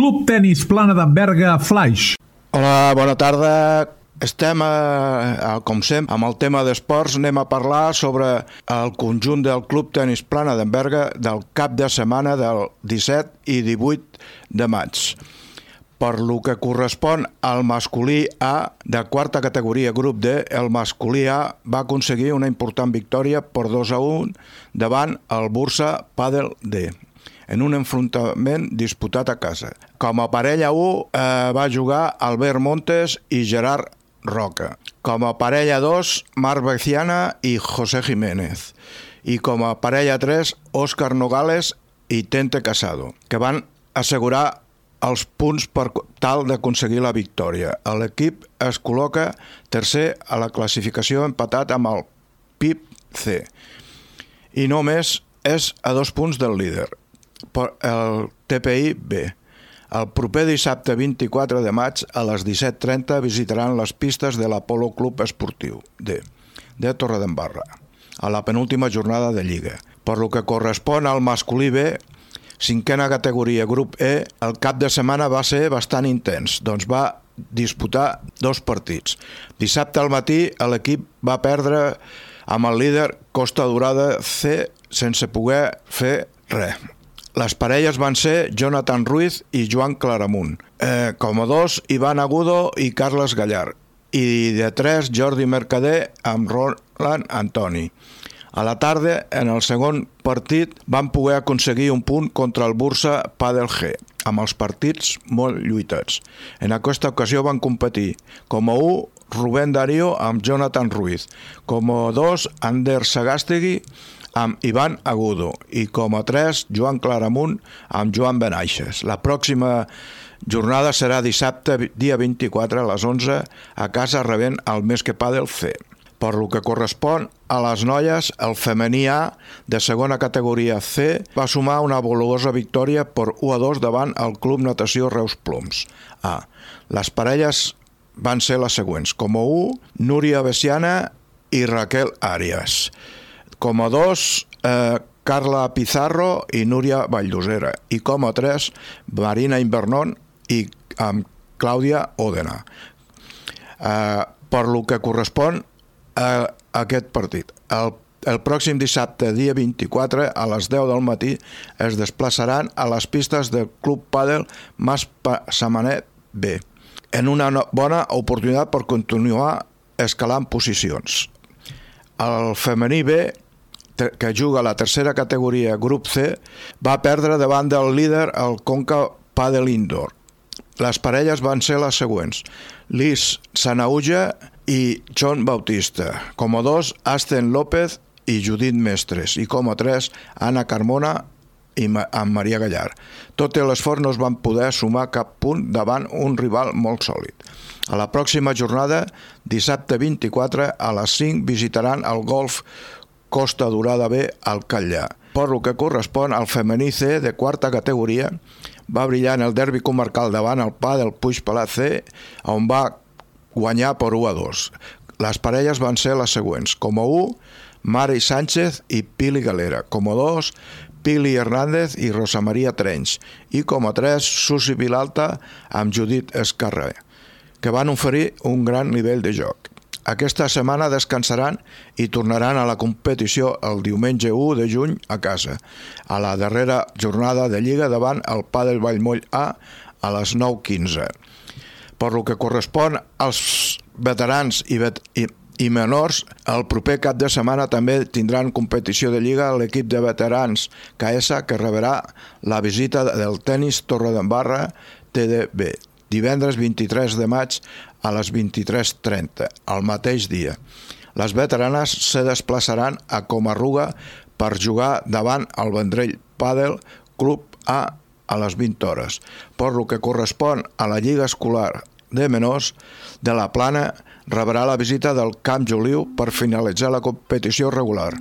Club Tenis Plana d'en Berga Flaix. Hola, bona tarda. Estem, com sempre, amb el tema d'esports. Anem a parlar sobre el conjunt del Club Tenis Plana d'en Berga del cap de setmana del 17 i 18 de maig. Per lo que correspon al masculí A de quarta categoria grup D, el masculí A va aconseguir una important victòria per 2-1 davant el Bursa Padel D, en un enfrontament disputat a casa. Com a parella 1 va jugar Albert Montes i Gerard Roca. Com a parella 2, Marc Veciana i José Jiménez. I com a parella 3, Óscar Nogales i Tente Casado, que van assegurar els punts per tal d'aconseguir la victòria. L'equip es col·loca tercer a la classificació empatat amb el PIB C i només és a 2 punts del líder, el TPI B. El proper dissabte 24 de maig a les 17:30 visitaran les pistes de l'Apolo Club Esportiu D de Torredembarra a la penúltima jornada de Lliga. Per lo que correspon al masculí B, cinquena categoria grup E, el cap de setmana va ser bastant intens, doncs va disputar 2 partits. Dissabte al matí l'equip va perdre amb el líder Costa Dorada C sense poder fer res. Les parelles van ser Jonathan Ruiz i Joan Claramunt. Com a 2, Ivan Agudo i Carles Gallar. I de 3, Jordi Mercader amb Roland Antoni. A la tarda, en el segon partit, van poder aconseguir un punt contra el Bursa Padel G, amb els partits molt lluitats. En aquesta ocasió van competir com a 1, Rubén Darío amb Jonathan Ruiz, com a 2, Ander Sagàstegui amb Ivan Agudo i com a 3, Joan Claramunt amb Joan Benaixes. La pròxima jornada serà dissabte, dia 24 a les 11, a casa rebent el Més que Padel C. Per lo que correspon a les noies, el femení A de segona categoria C va sumar una valuosa victòria per 1-2 davant el Club Natació Reus Ploms A. Les parelles van ser les següents. Com a 1, Núria Veciana i Raquel Arias. Com a 2, Carla Pizarro i Núria Valldosera. I com a 3, Marina Invernon i Clàudia Òdena. Per lo que correspon a aquest partit. El pròxim dissabte, dia 24, a les 10 del matí, es desplaçaran a les pistes del Club Padel Mas Samanet B, en una bona oportunitat per continuar escalant posicions. El femení B, que juga a la tercera categoria grup C, va perdre davant del líder el Conca Padel Indoor. Les parelles van ser les següents: Liz Sanauja i John Bautista. Com a 2, Asten López i Judit Mestres. I com a 3, Anna Carmona i amb Maria Gallar. Tot i l'esforç no es van poder sumar cap punt davant un rival molt sòlid. A la pròxima jornada, dissabte 24, a les 5, visitaran el Golf Costa Dorada B al Catllà. Per lo que correspon al femení C de quarta categoria, va brillar en el derbi comarcal davant el Padel Puig Pelat C, on va guanyar per 1-2. Les parelles van ser les següents. Com a 1, Mari Sánchez i Pili Galera. Com a 2, Pili Hernández i Rosa Maria Trenys. I com a 3, Susi Vilalta amb Judit Escarrer, que van oferir un gran nivell de joc. Aquesta setmana descansaran i tornaran a la competició el diumenge 1 de juny a casa, a la darrera jornada de Lliga davant el Padel Vallmoll A a les 9:15. Per lo que correspon als veterans i menors, el proper cap de setmana també tindran competició de Lliga l'equip de veterans KS, que rebrà la visita del Tenis Torredembarra TDB, divendres 23 de maig a les 23:30, el mateix dia. Les veteranes se desplaçaran a Comarruga per jugar davant el Vendrell Padel Club A les 20 hores. Per lo que correspon a la Lliga Escolar de Menors de la Plana, rebrà la visita del Camp Joliu per finalitzar la competició regular.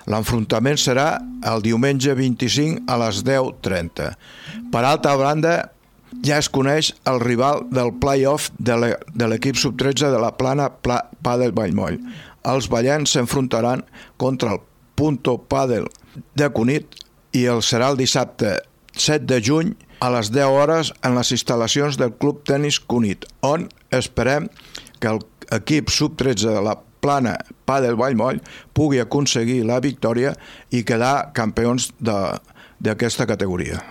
L'enfrontament serà el diumenge 25 a les 10:30. Per altra banda, ja es coneix el rival del play-off de l'equip sub-13 de la Plana Padel Vallmoll. Els ballens s'enfrontaran contra el Punto Padel de Cunit i serà el dissabte 7 de juny a les 10 hores en les instal·lacions del Club Tenis Cunit, on esperem que l'equip sub-13 de la Plana Padel Vallmoll pugui aconseguir la victòria i quedar campions d'aquesta categoria.